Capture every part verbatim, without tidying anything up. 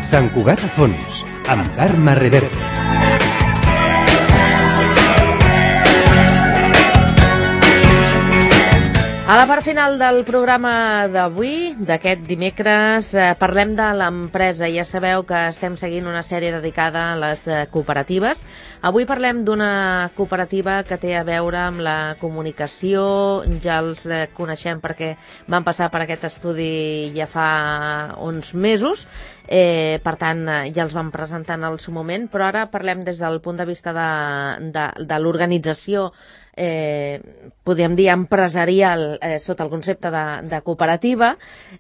Sant Cugat a fons, amb Carme Reverte. A la part final del programa d'avui, d'aquest dimecres, eh, parlem de l'empresa. Ja sabeu que estem seguint una sèrie dedicada a les eh, cooperatives. Avui parlem d'una cooperativa que té a veure amb la comunicació. Ja els eh, coneixem perquè van passar per aquest estudi ja fa uns mesos. Eh, per tant, eh, ja els vam presentar en el seu moment, però ara parlem des del punt de vista de, de, de l'organització, eh, podríem dir empresarial, eh, sota el concepte de, de cooperativa,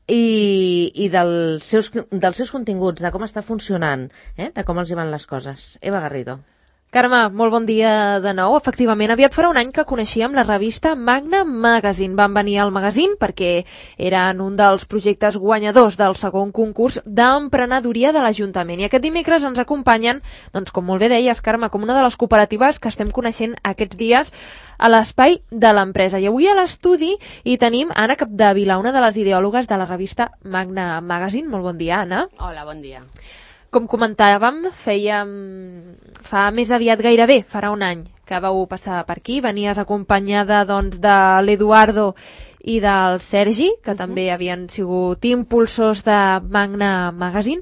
i, i dels, seus, dels seus continguts, de com està funcionant, eh, de com els hi van les coses. Eva Garrido. Carme, molt bon dia de nou. Efectivament, aviat farà un any que coneixíem la revista Magna Magazine. Van venir al magazín perquè eren un dels projectes guanyadors del segon concurs d'emprenedoria de l'Ajuntament. I aquest dimecres ens acompanyen, doncs, com molt bé deies, Carme, com una de les cooperatives que estem coneixent aquests dies a l'espai de l'empresa. I avui a l'estudi hi tenim Anna Capdevila, una de les ideòlogues de la revista Magna Magazine. Molt bon dia, Anna. Hola, bon dia. Com comentàvem, fèiem fa més aviat gairebé, farà un any que vau passar per aquí. Venies acompanyada doncs, de l'Eduardo i del Sergi, que uh-huh. també havien sigut impulsors de Magna Magazine.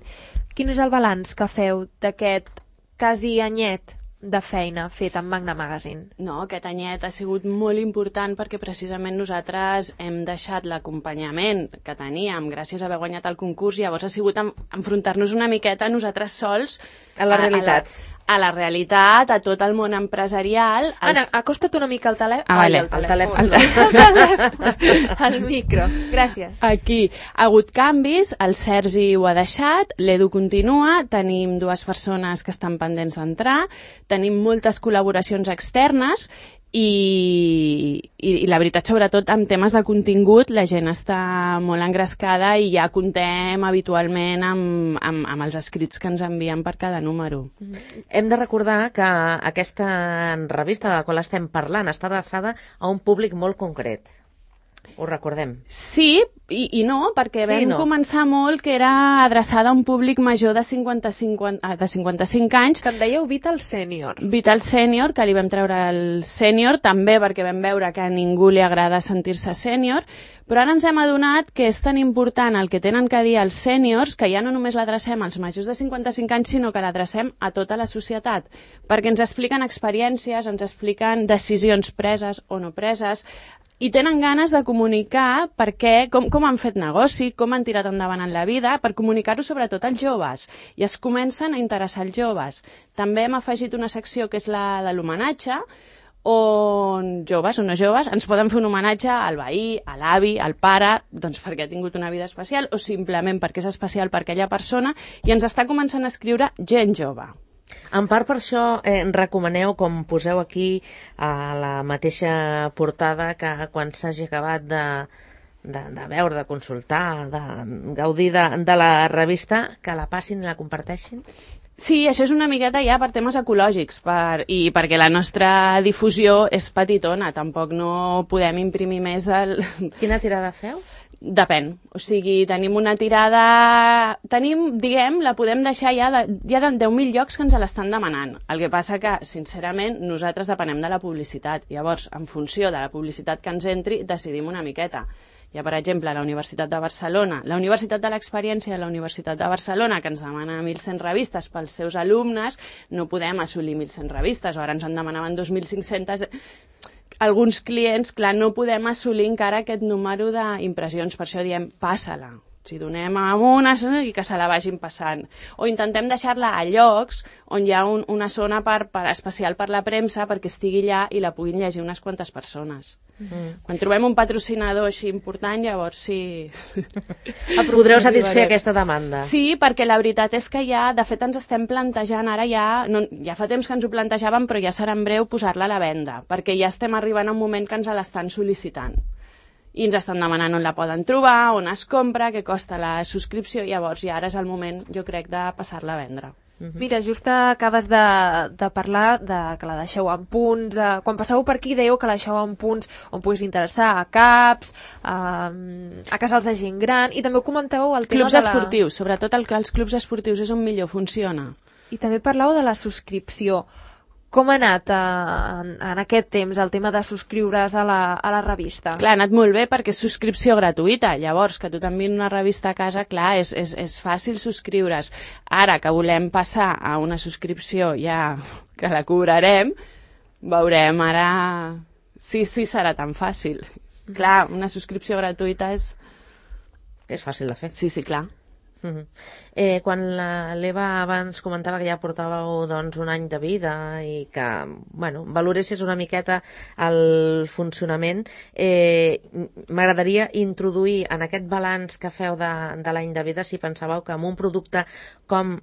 Quin és el balanç que feu d'aquest quasi anyet de feina feta amb Magna Magazine? No, aquest anyet ha sigut molt important perquè precisament nosaltres hem deixat l'acompanyament que teníem gràcies a haver guanyat el concurs. Llavors ha sigut enfrontar-nos una miqueta nosaltres sols a la realitat. A, a, la, a la realitat, a tot el món empresarial. Els... Anna, acosta't una mica al telèfon. Ah, vale. Ai, el telèfon. El telèfon. El micro. Gràcies. Aquí ha hagut canvis, el Sergi ho ha deixat, l'Edu continua, tenim dues persones que estan pendents d'entrar, tenim moltes col·laboracions externes i, i, i la veritat, sobretot amb temes de contingut, la gent està molt engrescada i ja contem habitualment amb, amb, amb els escrits que ens envien per cada número. Hem de recordar que aquesta revista de la qual estem parlant està adreçada a un públic molt concret. Ho recordem. Sí i, i no, perquè sí, vam no. començar molt que era adreçada a un públic major de cinquanta-cinc, de cinquanta-cinc anys. Que en dèieu Vital Senior. Vital Senior, que li vam treure el sènior, també perquè vam veure que a ningú li agrada sentir-se sènior, però ara ens hem adonat que és tan important el que tenen que dir els sèniors que ja no només l'adrecem als majors de cinquanta-cinc anys, sinó que l'adrecem a tota la societat, perquè ens expliquen experiències, ens expliquen decisions preses o no preses, i tenen ganes de comunicar per què, com, com han fet negoci, com han tirat endavant en la vida, per comunicar-ho sobretot als joves. I es comencen a interessar els joves. També hem afegit una secció que és la de l'homenatge, on joves o no joves ens poden fer un homenatge al veí, a l'avi, al pare, doncs perquè ha tingut una vida especial o simplement perquè és especial per aquella persona, i ens està començant a escriure gent jove. En part per això eh, recomaneu, com poseu aquí a la mateixa portada, que quan s'hagi acabat de, de, de veure, de consultar, de gaudir de, de la revista, que la passin i la comparteixin? Sí, això és una miqueta ja per temes ecològics per, i perquè la nostra difusió és petitona, tampoc no podem imprimir més el... Quina tirada feu? Depèn, o sigui, tenim una tirada... Tenim, diguem, la podem deixar ja de, ja de deu mil llocs que ens l'estan demanant. El que passa que, sincerament, nosaltres depenem de la publicitat. Llavors, en funció de la publicitat que ens entri, decidim una miqueta. Hi ha, per exemple, la Universitat de Barcelona, la Universitat de l'Experiència de la Universitat de Barcelona, que ens demana mil cent revistes pels seus alumnes, no podem assolir mil cent revistes, o ara ens en demanaven dos mil cinc-cents... Alguns clients, clar, no podem assolir encara aquest número d'impressions, per això diem, passa-la. Si donem a una i que se la vagin passant. O intentem deixar-la a llocs on hi ha un, una zona per, per especial per la premsa perquè estigui allà i la puguin llegir unes quantes persones. Mm. Quan trobem un patrocinador així important, llavors sí... Podreu satisfer aquesta demanda. Sí, perquè la veritat és que ja, de fet, ens estem plantejant ara ja... No, ja fa temps que ens ho plantejàvem, però ja serà en breu posar-la a la venda, perquè ja estem arribant a un moment que ens l'estan sol·licitant. I ens estan demanant on la poden trobar, on es compra, què costa la subscripció, llavors ja ara és el moment, jo crec, de passar-la a vendre. Mira, just acabes de, de parlar de que la deixeu en punts. Eh, quan passeu per aquí dèieu que la deixeu en punts on puguis interessar a CAPs, a, a casals de gent gran, i també ho comenteu el tema clubs de la... esportius, sobretot el, els clubs esportius és on millor funciona. I també parlàveu de la subscripció. Com ha anat eh, en, en aquest temps el tema de subscriure's a la, a la revista? Clar, ha anat molt bé perquè és subscripció gratuïta. Llavors, que tu t'enviïn una revista a casa, clar, és, és, és fàcil subscriure's. Ara que volem passar a una subscripció ja que la cobrarem, veurem ara si sí, sí serà tan fàcil. Clar, una subscripció gratuïta és... És fàcil de fer. Sí, sí, clar. Uh -huh. eh, quan l'Eva abans comentava que ja portàveu doncs, un any de vida i que bueno, valoressis una miqueta el funcionament, eh, m'agradaria introduir en aquest balanç que feu de, de l'any de vida si pensàveu que amb un producte com,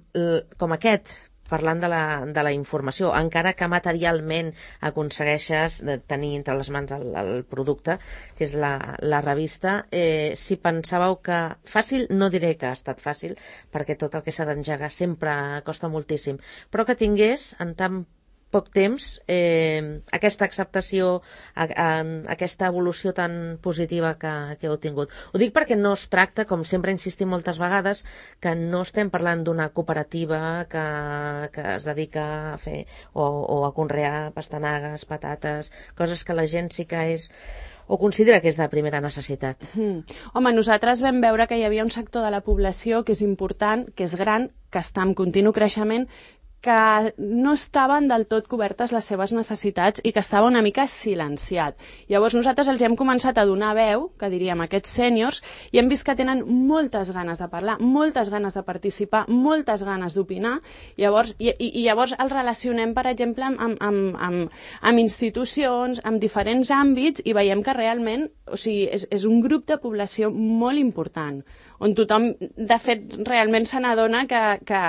com aquest, parlant de la, de la informació, encara que materialment aconsegueixes de tenir entre les mans el, el producte, que és la, la revista, eh, si pensàveu que fàcil, no diré que ha estat fàcil, perquè tot el que s'ha d'engegar sempre costa moltíssim, però que tingués en tan poc temps eh, aquesta acceptació, a, a, aquesta evolució tan positiva que, que heu tingut. Ho dic perquè no es tracta, com sempre insistim moltes vegades, que no estem parlant d'una cooperativa que, que es dedica a fer o, o a conrear pastanagues, patates, coses que la gent sí que és o considera que és de primera necessitat. Mm. Home, nosaltres vam veure que hi havia un sector de la població que és important, que és gran, que està en continu creixement, que no estaven del tot cobertes les seves necessitats i que estava una mica silenciat. Llavors nosaltres els hem començat a donar veu, que diríem aquests sèniors, i hem vist que tenen moltes ganes de parlar, moltes ganes de participar, moltes ganes d'opinar, llavors, i, i, i llavors els relacionem, per exemple, amb, amb, amb, amb institucions, amb diferents àmbits, i veiem que realment, o sigui, és, és un grup de població molt important, on tothom, de fet, realment se n'adona que, que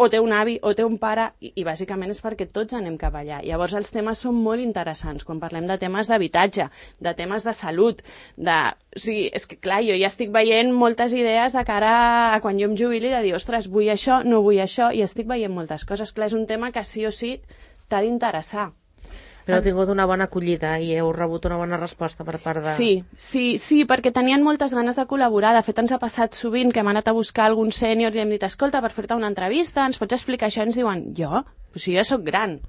o té un avi o té un pare, i, i bàsicament és perquè tots anem cap allà. Llavors els temes són molt interessants, quan parlem de temes d'habitatge, de temes de salut, de... O sigui, és que clar, jo ja estic veient moltes idees de cara a quan jo em jubili, de dir, ostres, vull això, no vull això, i estic veient moltes coses. Clar, és un tema que sí o sí t'ha d'interessar. Però heu tingut una bona acollida i heu rebut una bona resposta per part de... Sí, sí, sí, perquè tenien moltes ganes de col·laborar. De fet, ens ha passat sovint que hem anat a buscar algun sènior i hem dit, escolta, per fer-te una entrevista, ens pots explicar això? I ens diuen, jo? Però si jo sóc gran.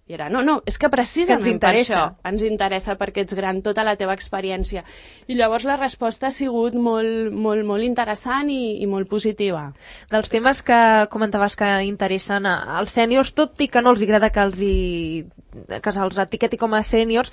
I era, no, no, és que precisament que ens interessa. Per això ens interessa, perquè ets gran, tota la teva experiència. I llavors la resposta ha sigut molt, molt, molt interessant i, i molt positiva. Dels temes que comentaves que interessen als sèniors, tot i que no els agrada que els hi que se'ls etiqueti com a sèniors.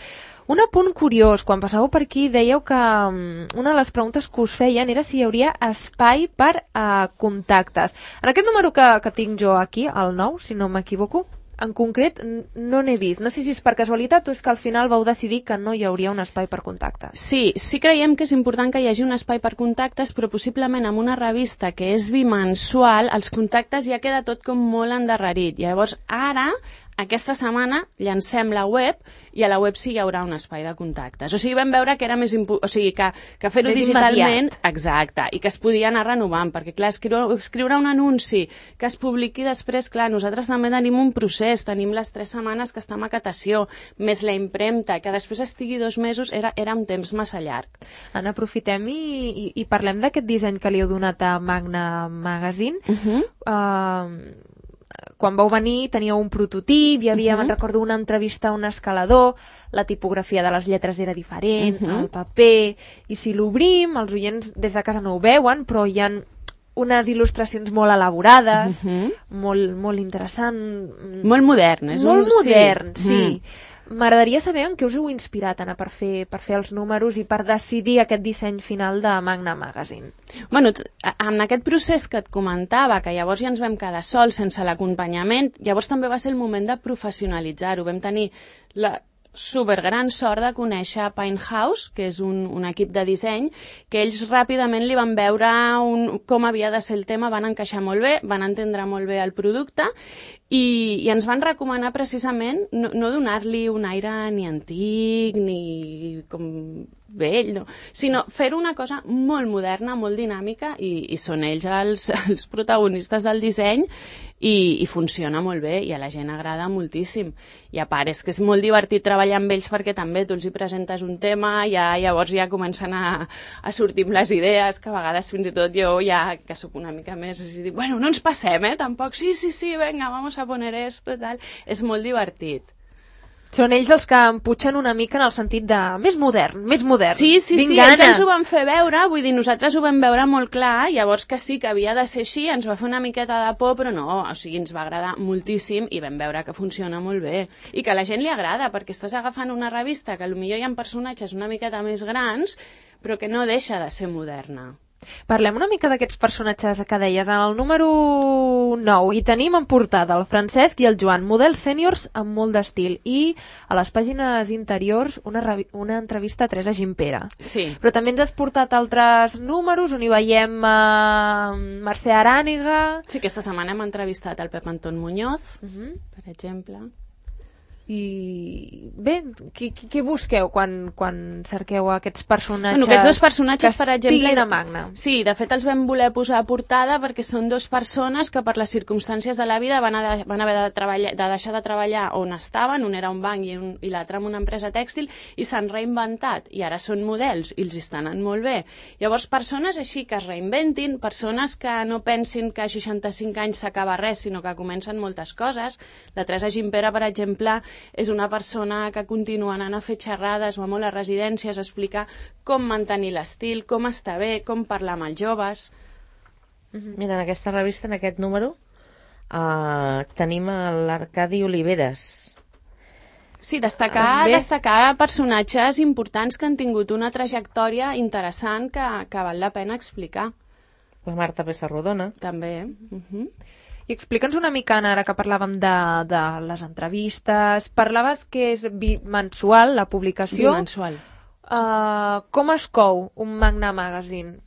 Un apunt curiós, quan passàveu per aquí dèieu que um, una de les preguntes que us feien era si hi hauria espai per uh, contactes. En aquest número que, que tinc jo aquí, el nou, si no m'equivoco, en concret no n'he vist. No sé si és per casualitat o és que al final vau decidir que no hi hauria un espai per contactes. Sí, sí creiem que és important que hi hagi un espai per contactes, però possiblement amb una revista que és bimensual, els contactes ja queda tot com molt endarrerit. Llavors, ara, aquesta setmana, llancem la web i a la web sí hi haurà un espai de contactes. O sigui, vam veure que era més important, o sigui, que, que fer-ho digitalment... Immediat. Exacte, i que es podia anar renovant, perquè, clar, escriure, escriure un anunci que es publiqui després, clar, nosaltres també tenim un procés, tenim les tres setmanes que està a maquetació, més la impremta, que després estigui dos mesos, era, era un temps massa llarg. Anna, aprofitem i, i, i parlem d'aquest disseny que li heu donat a Magna Magazine. Uh-huh. Uh, quan vau venir teníeu un prototip, hi havia, uh-huh. me'n recordo, una entrevista a un escalador, la tipografia de les lletres era diferent, uh-huh. el paper, i si l'obrim, els oients des de casa no ho veuen, però hi ha unes il·lustracions molt elaborades, uh-huh. molt, molt interessant. Molt modern. És molt un... modern, sí. sí. Uh-huh. M'agradaria saber en què us heu inspirat, Anna, per fer, per fer els números i per decidir aquest disseny final de Magna Magazine. Bueno, en aquest procés que et comentava, que llavors ja ens vam quedar sols, sense l'acompanyament, llavors també va ser el moment de professionalitzar-ho. Vam tenir la supergran sort de conèixer Pine House, que és un, un equip de disseny, que ells ràpidament li van veure un, com havia de ser el tema, van encaixar molt bé, van entendre molt bé el producte i, i ens van recomanar precisament no, no donar-li un aire ni antic ni com vell, no? Sinó fer una cosa molt moderna, molt dinàmica, i, i són ells els, els protagonistes del disseny, i, i funciona molt bé, i a la gent agrada moltíssim. I a part, és que és molt divertit treballar amb ells perquè també tu els hi presentes un tema, ja, llavors ja comencen a, a sortir amb les idees, que a vegades fins i tot jo ja, que sóc una mica més, i dic, bueno, no ens passem, eh, tampoc, sí, sí, sí, venga, vamos a poner esto, tal. És molt divertit. Són ells els que em putxen una mica en el sentit de més modern, més modern. Sí, sí, Vinc sí, gana. ells ens ho van fer veure, vull dir, nosaltres ho vam veure molt clar, llavors que sí, que havia de ser així, ens va fer una miqueta de por, però no, o sigui, ens va agradar moltíssim i vam veure que funciona molt bé. I que a la gent li agrada, perquè estàs agafant una revista que potser hi ha personatges una miqueta més grans, però que no deixa de ser moderna. Parlem una mica d'aquests personatges que deies. En el número nou hi tenim en portada el Francesc i el Joan, models sèniors amb molt d'estil, i a les pàgines interiors una, una entrevista a Teresa Gimpera. Sí. Però també ens has portat altres números on hi veiem uh, Mercè Aràniga. Sí, aquesta setmana hem entrevistat el Pep Anton Muñoz, uh -huh. per exemple. I bé, què, què busqueu quan, quan cerqueu aquests personatges, bueno, aquests dos personatges, que per exemple, estiguin a Magna? Sí, de fet els vam voler posar a portada perquè són dues persones que per les circumstàncies de la vida van, a de, van haver de, treballar, de deixar de treballar on estaven, un era un banc i, un, i l'altre en una empresa tèxtil, i s'han reinventat i ara són models i els estan anant molt bé. Llavors, persones així que es reinventin, persones que no pensin que a seixanta-cinc anys s'acaba res, sinó que comencen moltes coses. La Teresa Gimpera, per exemple, és una persona que continua anant a fer xerrades, va molt a residències, a explicar com mantenir l'estil, com estar bé, com parlar amb els joves. Mira, en aquesta revista, en aquest número, uh, tenim l'Arcadi Oliveres. Sí, destacar, destacar personatges importants que han tingut una trajectòria interessant que, que val la pena explicar. La Marta Pessarrodona. També. Uh -huh. I explica'ns una mica, ara que parlàvem de, de les entrevistes, parlaves que és bimensual la publicació. Bimensual. Uh, com es cou un Magna Magazine?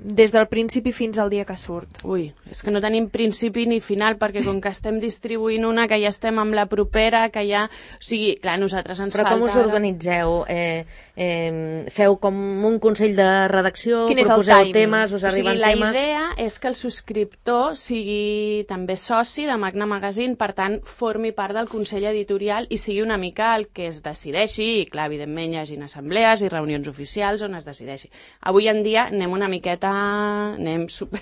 Des del principi fins al dia que surt. Ui, és que no tenim principi ni final, perquè com que estem distribuint una, que ja estem amb la propera, que ja... O sigui, clar, nosaltres ens Però falta... Però com us organitzeu? Eh, eh, feu com un consell de redacció? Quin és el proposeu timing? temes? Us arriben o sigui, temes? La idea és que el subscriptor sigui també soci de Magna Magazine, per tant, formi part del consell editorial i sigui una mica el que es decideixi, i clar, evidentment hi hagi assemblees i reunions oficials on es decideixi. Avui en dia anem una miqueta anem super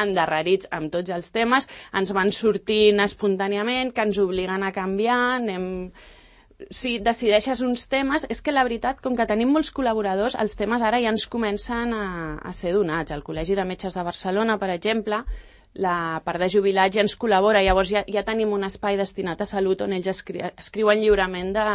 endarrerits amb tots els temes, ens van sortint espontàniament, que ens obliguen a canviar, anem... Si decideixes uns temes, és que la veritat, com que tenim molts col·laboradors, els temes ara ja ens comencen a, a ser donats. El Col·legi de Metges de Barcelona, per exemple, la part de jubilats ja ens col·labora, llavors ja, ja tenim un espai destinat a salut on ells escri escriuen lliurement de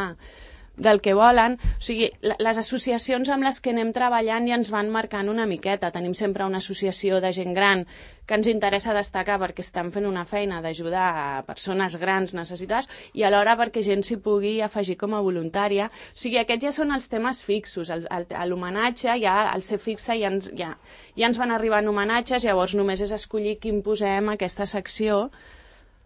del que volen. O sigui, les associacions amb les que anem treballant ja ens van marcant una miqueta. Tenim sempre una associació de gent gran que ens interessa destacar perquè estan fent una feina d'ajudar a persones grans necessitades i alhora perquè gent s'hi pugui afegir com a voluntària. O sigui, aquests ja són els temes fixos. L'homenatge, ja, el ser fixa, ja ens, ja, ja ens van arribant homenatges, llavors només és escollir quin posem a aquesta secció.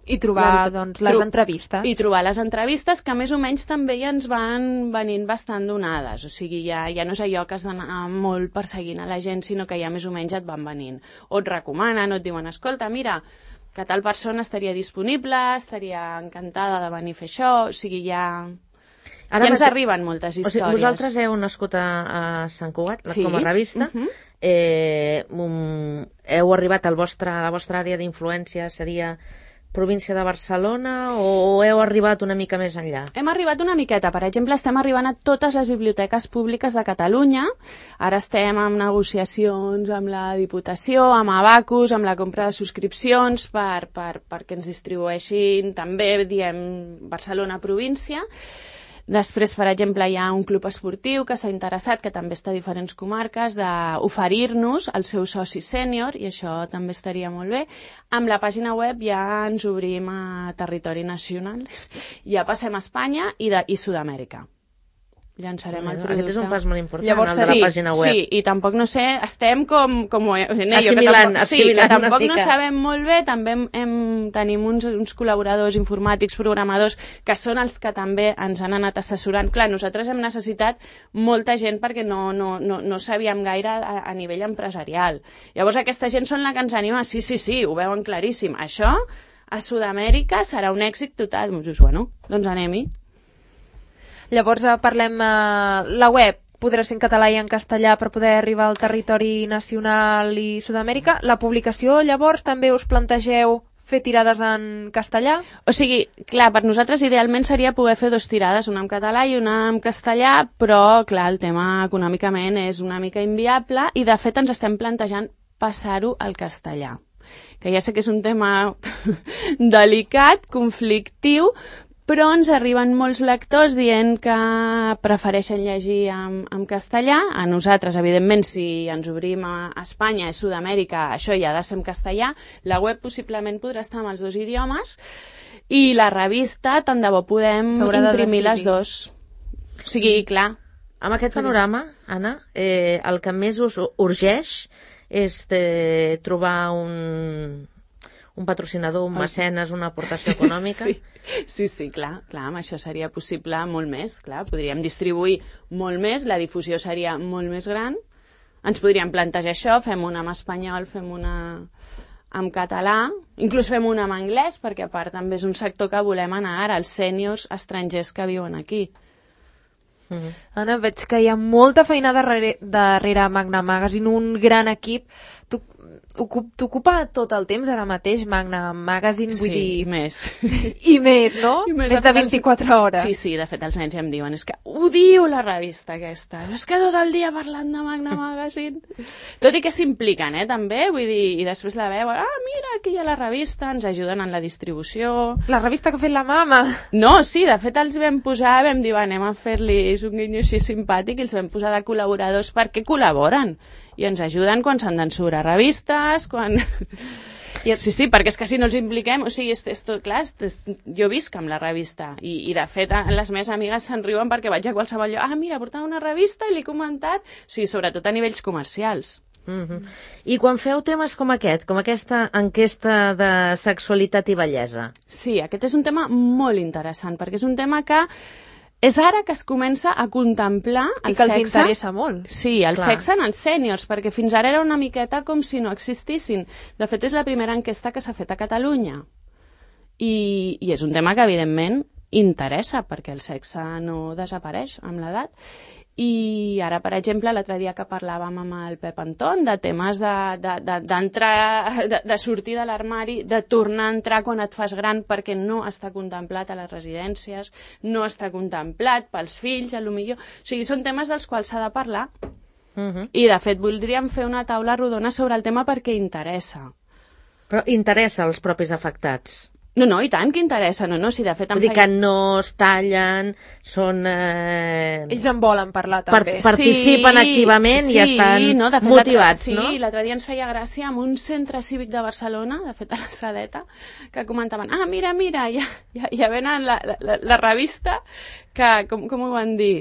I trobar, doncs, les entrevistes. I trobar les entrevistes, que més o menys també ja ens van venint bastant donades. O sigui, ja, ja no és allò que has d'anar molt perseguint a la gent, sinó que ja més o menys et van venint. O et recomanen, o et diuen, escolta, mira, que tal persona estaria disponible, estaria encantada de venir a fer això. O sigui, ja... Ara ja ens arriben moltes històries. O sigui, vosaltres heu nascut a, a Sant Cugat, sí. com a revista. Uh -huh. eh, um, heu arribat al vostre, a la vostra àrea d'influència, seria... província de Barcelona, o heu arribat una mica més enllà? Hem arribat una miqueta. Per exemple, estem arribant a totes les biblioteques públiques de Catalunya. Ara estem en negociacions amb la Diputació, amb Abacus, amb la compra de subscripcions per, per, perquè ens distribueixin també, diem, Barcelona província. Després, per exemple, hi ha un club esportiu que s'ha interessat, que també està a diferents comarques, d'oferir-nos el seu soci sènior, i això també estaria molt bé. Amb la pàgina web ja ens obrim a territori nacional, ja passem a Espanya i, de, i Sud-amèrica. llançarem el Aquest producte. és un pas molt important, Llavors, el de sí, la pàgina web. Sí, i tampoc no sé, estem com... com Assimilant, que tampoc, sí, assimilant que una tampoc no mica. sabem molt bé, també hem, hem, tenim uns, uns col·laboradors informàtics, programadors, que són els que també ens han anat assessorant. Clar, nosaltres hem necessitat molta gent perquè no, no, no, no sabíem gaire a, a nivell empresarial. Llavors aquesta gent són la que ens anima, sí, sí, sí, ho veuen claríssim. Això a Sud-amèrica serà un èxit total. Doncs, bueno, doncs anem-hi. Llavors eh, parlem, eh, la web podrà ser en català i en castellà per poder arribar al territori nacional i Sud-amèrica. La publicació, llavors, també us plantegeu fer tirades en castellà? O sigui, clar, per nosaltres idealment seria poder fer dos tirades, una en català i una en castellà, però, clar, el tema econòmicament és una mica inviable i, de fet, ens estem plantejant passar-ho al castellà, que ja sé que és un tema delicat, conflictiu, però ens arriben molts lectors dient que prefereixen llegir en, en castellà. A nosaltres, evidentment, si ens obrim a Espanya, a Sud-amèrica, això ja ha de ser en castellà. La web possiblement podrà estar amb els dos idiomes i la revista, tant de bo podem imprimir les dos. O sigui, clar. Amb aquest panorama, Anna, eh, el que més us urgeix és de trobar un, un patrocinador, un mecenes, una aportació econòmica? Sí. Sí, sí, clar, clar, amb això seria possible molt més, clar, podríem distribuir molt més, la difusió seria molt més gran, ens podríem plantejar això, fem una en espanyol, fem una en català, inclús fem una en anglès, perquè a part també és un sector que volem anar ara, els sèniors estrangers que viuen aquí. Mm. Anna, veig que hi ha molta feina darrere, darrere Magna Magazine, un gran equip. Tu, t'ocupa tot el temps ara mateix Magna Magazine, vull sí, dir... i més. I més, no? I més, més de vint-i-quatre hores. Sí, sí, de fet els nens ja em diuen, és que odio la revista aquesta, és que tot el dia parlant de Magna Magazine. Tot i que s'impliquen, eh, també, vull dir, i després la veuen, ah, mira, aquí hi ha la revista, ens ajuden en la distribució... La revista que ha fet la mama. No, sí, de fet els vam posar, vam dir, anem a fer-li un guinyo així simpàtic i els vam posar de col·laboradors perquè col·laboren i ens ajuden quan s'han d'ensura revistes, quan... I, sí, sí, perquè és que si no els impliquem, o sigui, és, és tot clar, és, és, jo visc amb la revista i, i de fet les meves amigues se'n riuen perquè vaig a qualsevol lloc, ah, mira, portava una revista i l'he comentat, o sigui, sobretot a nivells comercials. Mm-hmm. I quan feu temes com aquest, com aquesta enquesta de sexualitat i bellesa? Sí, aquest és un tema molt interessant, perquè és un tema que és ara que es comença a contemplar el I que els sexe. interessa molt. Sí, el Clar. sexe en els sèniors, perquè fins ara era una miqueta com si no existissin. De fet, és la primera enquesta que s'ha fet a Catalunya. I, i és un tema que, evidentment, interessa, perquè el sexe no desapareix amb l'edat. I ara, per exemple, l'altre dia que parlàvem amb el Pep Anton de temes d'entrar, de, de, de, de sortir de l'armari, de tornar a entrar quan et fas gran perquè no està contemplat a les residències, no està contemplat pels fills, a lo millor... O sigui, són temes dels quals s'ha de parlar. Mm-hmm. I, de fet, voldríem fer una taula rodona sobre el tema perquè interessa. Però interessa als propis afectats? No, no, i tant que interessa, no, no, si de fet... Vull dir que no es tallen, són... Eh... Ells en volen parlar, també. Per, participen sí, activament sí, i estan no, de fet, motivats, sí, no? Sí, l'altre dia ens feia gràcia amb un centre cívic de Barcelona, de fet a la Sadeta, que comentaven, ah, mira, mira, ja, ja, ja venen la, la, la revista que, com, com ho van dir?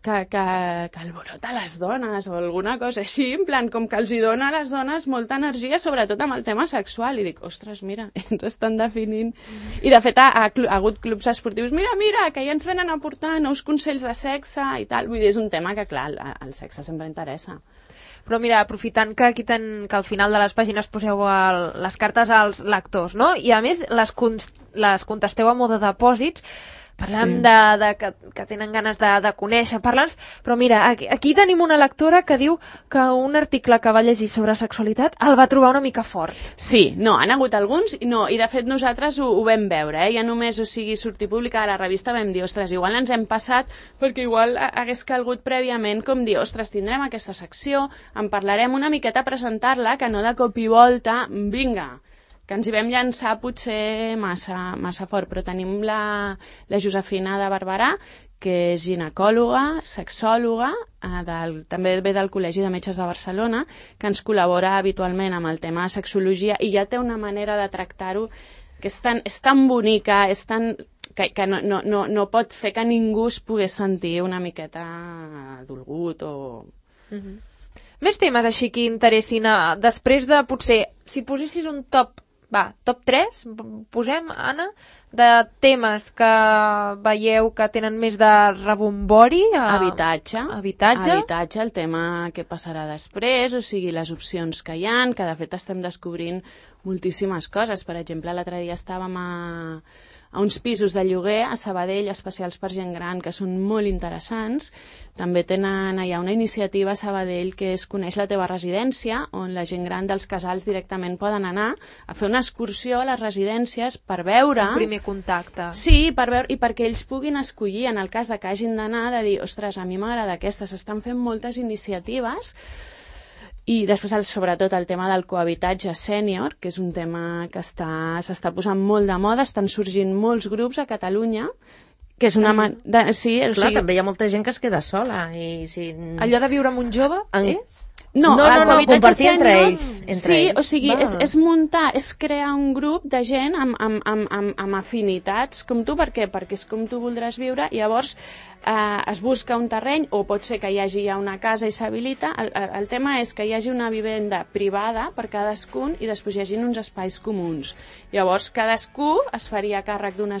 Que, que, que alborota les dones o alguna cosa així, en plan, com que els hi dona a les dones molta energia, sobretot amb el tema sexual. I dic, ostres, mira, ens estan definint. I de fet ha, ha, ha hagut clubs esportius, mira, mira, que ja ens venen a portar nous consells de sexe i tal. Vull dir, és un tema que, clar, el, el sexe sempre interessa. Però mira, aprofitant que aquí ten, que al final de les pàgines poseu el, les cartes als lectors, no? I a més les, con, les contesteu a mode de depòsits, parlem sí. de, de que, que tenen ganes de, de conèixer, parla'ns, però mira, aquí, aquí tenim una lectora que diu que un article que va llegir sobre sexualitat el va trobar una mica fort. Sí, no, han hagut alguns, no, i de fet nosaltres ho, ho vam veure, eh? Ja només, o sigui, sortir publicada a la revista vam dir, ostres, igual ens hem passat, perquè igual hagués calgut prèviament com dir, ostres, tindrem aquesta secció, en parlarem una miqueta a presentar-la, que no de cop i volta, vinga, que ens hi vam llançar potser massa, massa fort, però tenim la, la Josefina de Barberà, que és ginecòloga, sexòloga, eh, del, també ve del Col·legi de Metges de Barcelona, que ens col·labora habitualment amb el tema de sexologia i ja té una manera de tractar-ho que és tan, és tan bonica, és tan... que, que no, no, no, no pot fer que ningú es pogués sentir una miqueta dolgut o... Mm-hmm. Més temes així que interessin, uh, després de, potser, si posessis un top, va, top tres, posem, Anna, de temes que veieu que tenen més de rebombori. Uh, Habitatge. Habitatge. Habitatge, el tema què passarà després, o sigui, les opcions que hi han, que de fet estem descobrint moltíssimes coses. Per exemple, l'altre dia estàvem a... a uns pisos de lloguer a Sabadell, especials per gent gran, que són molt interessants. També tenen allà una iniciativa a Sabadell que és Coneix la teva residència, on la gent gran dels casals directament poden anar a fer una excursió a les residències per veure... Un primer contacte. Sí, per veure, i perquè ells puguin escollir, en el cas de que hagin d'anar, de dir, ostres, a mi m'agrada aquesta, s'estan fent moltes iniciatives. I després, el, sobretot, el tema del cohabitatge sènior, que és un tema que està, s'està posant molt de moda, estan sorgint molts grups a Catalunya, que és una... Man... De, sí, Clar, o sigui... també hi ha molta gent que es queda sola. I si... Allò de viure amb un jove, En... és? No, no, no, no, compartir sènior, entre ells. Entre sí, ells. o sigui, és, és muntar, és crear un grup de gent amb, amb, amb, amb, amb afinitats com tu. Per què? Perquè és com tu voldràs viure, i llavors eh, es busca un terreny, o pot ser que hi hagi ja una casa i s'habilita. El, el, el tema és que hi hagi una vivenda privada per cadascun i després hi hagi uns espais comuns. Llavors, cadascú es faria càrrec d'una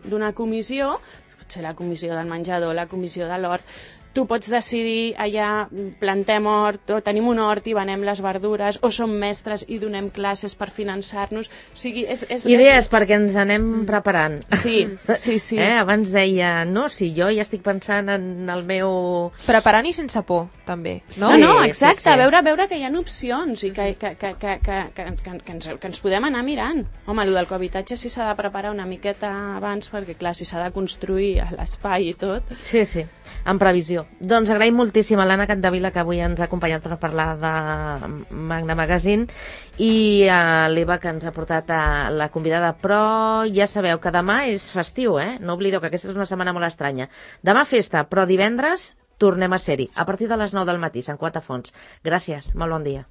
d'una comissió, potser la comissió del menjador, la comissió de l'hort. Tu pots decidir, allà plantem hort, o tenim un hort i venem les verdures, o som mestres i donem classes per finançar-nos. O sigui, és... és Idees és... perquè ens anem preparant. Sí, sí, sí. Eh? Abans deia, no, si jo ja estic pensant en el meu... Preparant i sense por, també. No, Sí, no, exacte, sí, sí. Veure, veure que hi ha opcions i que, que, que, que, que, que, que, que, ens, que ens podem anar mirant. Home, el del cohabitatge sí s'ha de preparar una miqueta abans, perquè clar, si s'ha de construir a l'espai i tot... Sí, sí, en previsió. Doncs agraïm moltíssim a l'Anna Capdevila, que avui ens ha acompanyat per parlar de Magna Magazine, i a l'Eva, que ens ha portat a la convidada. Però ja sabeu que demà és festiu, eh? No oblideu que aquesta és una setmana molt estranya. Demà festa, però divendres tornem a ser-hi, a partir de les nou del matí, Sant Cugat a Fons. Gràcies, molt bon dia.